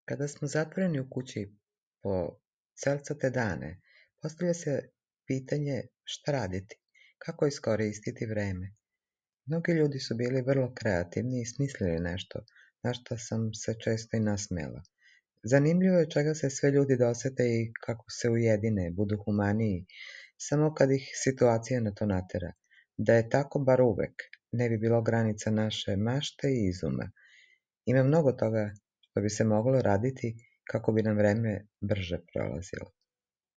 Kada smo zatvoreni u kući po celcate dane, postavlja se pitanje šta raditi, kako iskoristiti vreme. Mnogi ljudi su bili vrlo kreativni i smislili nešto, na što sam se često i nasmela. Zanimljivo je čega se sve ljudi dosete i kako se ujedine, budu humaniji, samo kad ih situacija na to natera. Da je tako bar uvek, ne bi bilo granica naše mašte i izuma. Ima mnogo toga što bi se moglo raditi kako bi nam vreme brže prolazilo.